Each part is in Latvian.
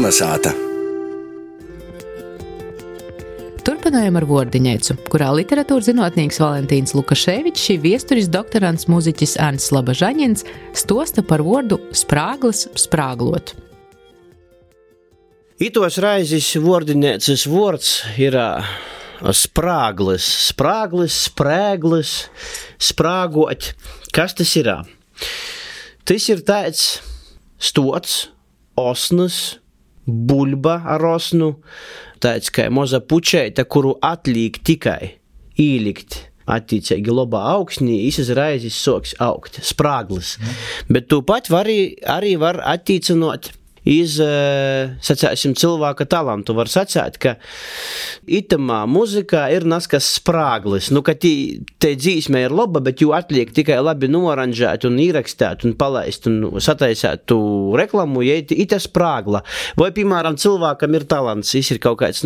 Kolnesāta. Turpinājam ar Vordiņeicu, kurā literatūras zinātnieks Valentīns Lukaševičs, šī viesturis doktorants mūziķis Ants Labažaņins stosta par vordu sprāglis sprāglot. Itos raizis Vordiņeicas vords ir sprāglis, sprēglis, sprāgot. Kas tas ir? Tas ir tāds stots, osnas, buļba ar osnu, tāds kā moza pučeita, kuru atliek tikai īlikt attīcīgi labā augsnī, izas raizis soks augt, sprāglis. Bet tu pat arī var attīcinot iz, sacēsim, cilvēka talantu. Var sacēt, ka itamā muzikā ir naskas sprāglis. Nu, ka te dzīsme ir laba, bet jū atliek tikai labi noranžēt un īrakstēt un palaist un sataisēt tu reklamu, ja ita sprāgla. Vai, piemēram, cilvēkam ir talants, ir kaut kāds,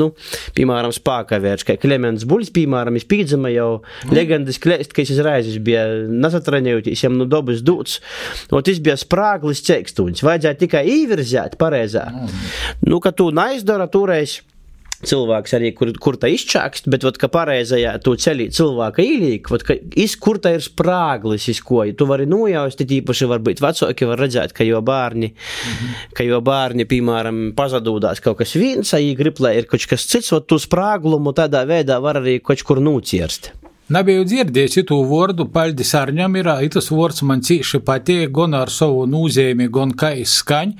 piemēram, spākavērš, kā Klemens Buļs, piemēram, pīdzama jau legendas klēst, ka es raizis bija nasatranējoties, jam dobas dūts. Un tas bija sprāglis ceikstuņs. Vajadzēja tikai īvirzēt pareizā. Ka tu naizdara toreiz cilvēks arī, kur tā izčākst, bet, ka pareizajā tu ceļī cilvēka īlīk, kur tā ir sprāglis, ko tu vari nojaust, tīpaši varbūt vecāki var redzēt, ka jo bārni, piemēram, pazadūdās kaut kas viens, ja grib, lai ir kaut kas cits, tu sprāglumu tādā veidā var arī kaut kur nūcierst. Nebiju dzirdējis itū vordu, paļdis Arņam ir, itas vords man cīši patīk, gan ar savu nūzēmi, gan kā izskaņ.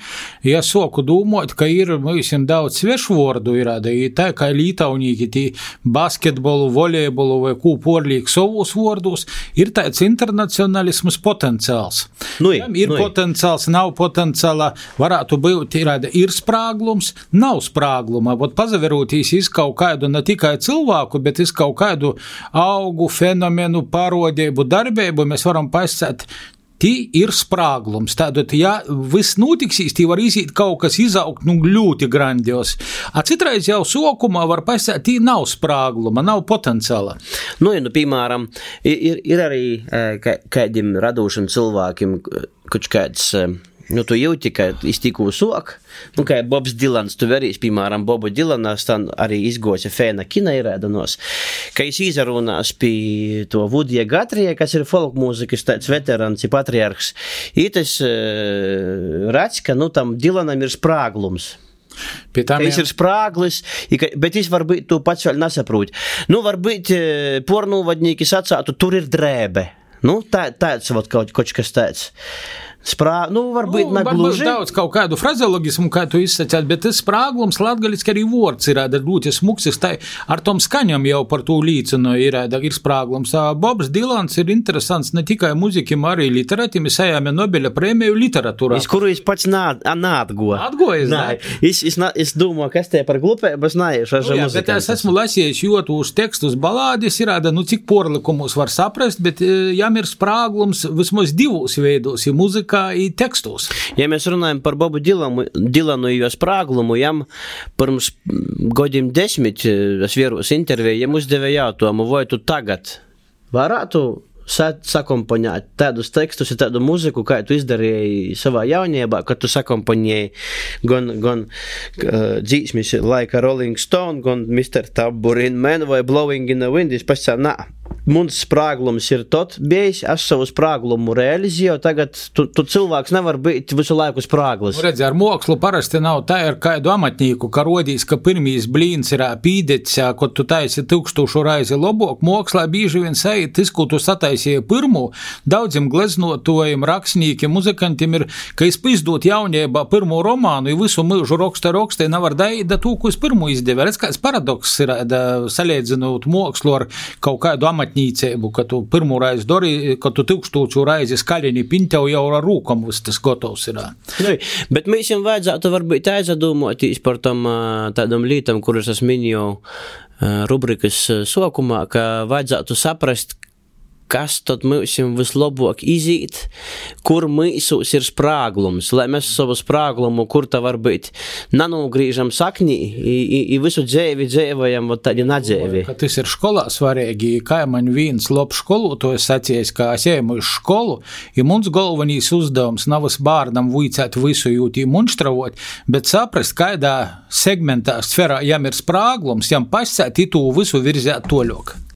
Ja soku dūmot, ka ir, visiem daudz svešu vordu ir, tā kā lītaunīki tī basketbolu, volejbolu vai kū porlīk savus vordus, ir tāds internacionalisms potenciāls. Ir potenciāls, nav potenciāla, varētu būt, ir sprāglums, nav sprāgluma, bet pazaverūtīs iz kaut kādu ne tikai cilvēku, bet iz kaut kādu augu, fenomenu, parodību, darbību, mēs varam pasēt, tī ir sprāglums. Tātad, ja viss notiksīs, tī var izīt kaut kas izaugt, ļoti grandios. Citreiz jau sokumā var pasēt, tī nav sprāgluma, nav potenciāla. Piemēram, ir arī kādiem radošiem cilvēkiem, kaut kāds, tu jūti, ka iztikū sok, kā Bobs Dilans, tu verīs, piemēram, Bobu Dilanas, tā arī izgoja fēna kina irēdanos, ka es izarunās pie to Vudija Gatrija, kas ir folk mūzikas tāds veterans, patriarhs, tas redz, ka, tam Dilanam ir sprāglums. Ka ir sprāglis, bet es varbūt tu pats vēl nesaprūt. Varbūt pornūvadnīki sacātu, tur ir drēbe. Tāds kaut kas tāds. Varbūt negluži. Daudz kaut kādu frazeologismu, kā tu izsacāt, bet tas sprāglums latgaliski arī vords ir, ļoti smuksis, tā ar tom skaņam jau par to līdzinu ir sprāglums. Bobs Dilans ir interesants ne tikai muzikim, arī literatim, es ejāmi Nobeļa prēmiju literatūrā. Kuru es pats nātgoju. Atgojas, ne? Es domāju, kas te par glupēbas nājuši ar muzikantas. Bet es esmu lasījis jūtūs tekstus balādis, ir, cik porlikumus var saprast, bet jām ir sprāglums vismaz divos veidos, ir muzika, i tekstos. Ja mēs runājam par Bobu Dilanu jo sprāglumu, jam pirms godiem 10 es vieros interviju, jam uzdeva jautājumu, vai tu tagad varētu sakomponēt tādus tekstus un tādu muziku, kā tu izdarīji savā jaunībā, kad tu sakomponēji gan dzīsmis laika Rolling Stone, gan Mr. Tambourine Man vai Blowing in the Wind, es pasacā, Muns sprāglums ir tot bijis, es savu sprāglumu realizēju, tagad tu cilvēks nevar būt visu laiku sprāglis. Redzi, ar mokslu parasti nav tā ar kādu amatnieku, ka rodīs, ka pirmīs blīns ir pīdets, kad tu taisi 1000 raizi labok, mokslā bīži vien sajūt, tas, ko tu sataisīji pirmu, daudziem gleznotojiem, rakstniekiem, muzikantiem ir, ka es izdot jauniebā pirmo romānu, i visu mūžu rakstē nevar daida to, ko es pirmu izdevē. Redz, kāds paradoks ir, salīdzinot mokslu ar kaut kādu amatnīcēbu, ka tu pirmo reizi dori, ka tu 1000 reizi skaļini pintev jau ar rūkam, viss tas gotovs ir. Bet mēs jums vajadzētu varbūt aizdomāties par tādam lītam, kuras es minēju rubrikas sokumā, ka vajadzētu saprast, kas tad mūsim vislabāk izīt, kur mīsūs ir sprāglums, lai mēs savu sprāglumu, kur ta var būt, nanūgrīžam saknī, i visu dzēvi dzēvojam, vot tādi nadzēvi. Ka tas ir školā svarīgi, kā man viens labs skolotājs sacījis, ka es ejam uz skolu, i mums galvenīs uzdevums nav bārnam vuicēt visu jūtī munštravot, bet saprast, kādā segmentā, sferā jam ir sprāglums, jam pasēt itū visu virzēt toļok.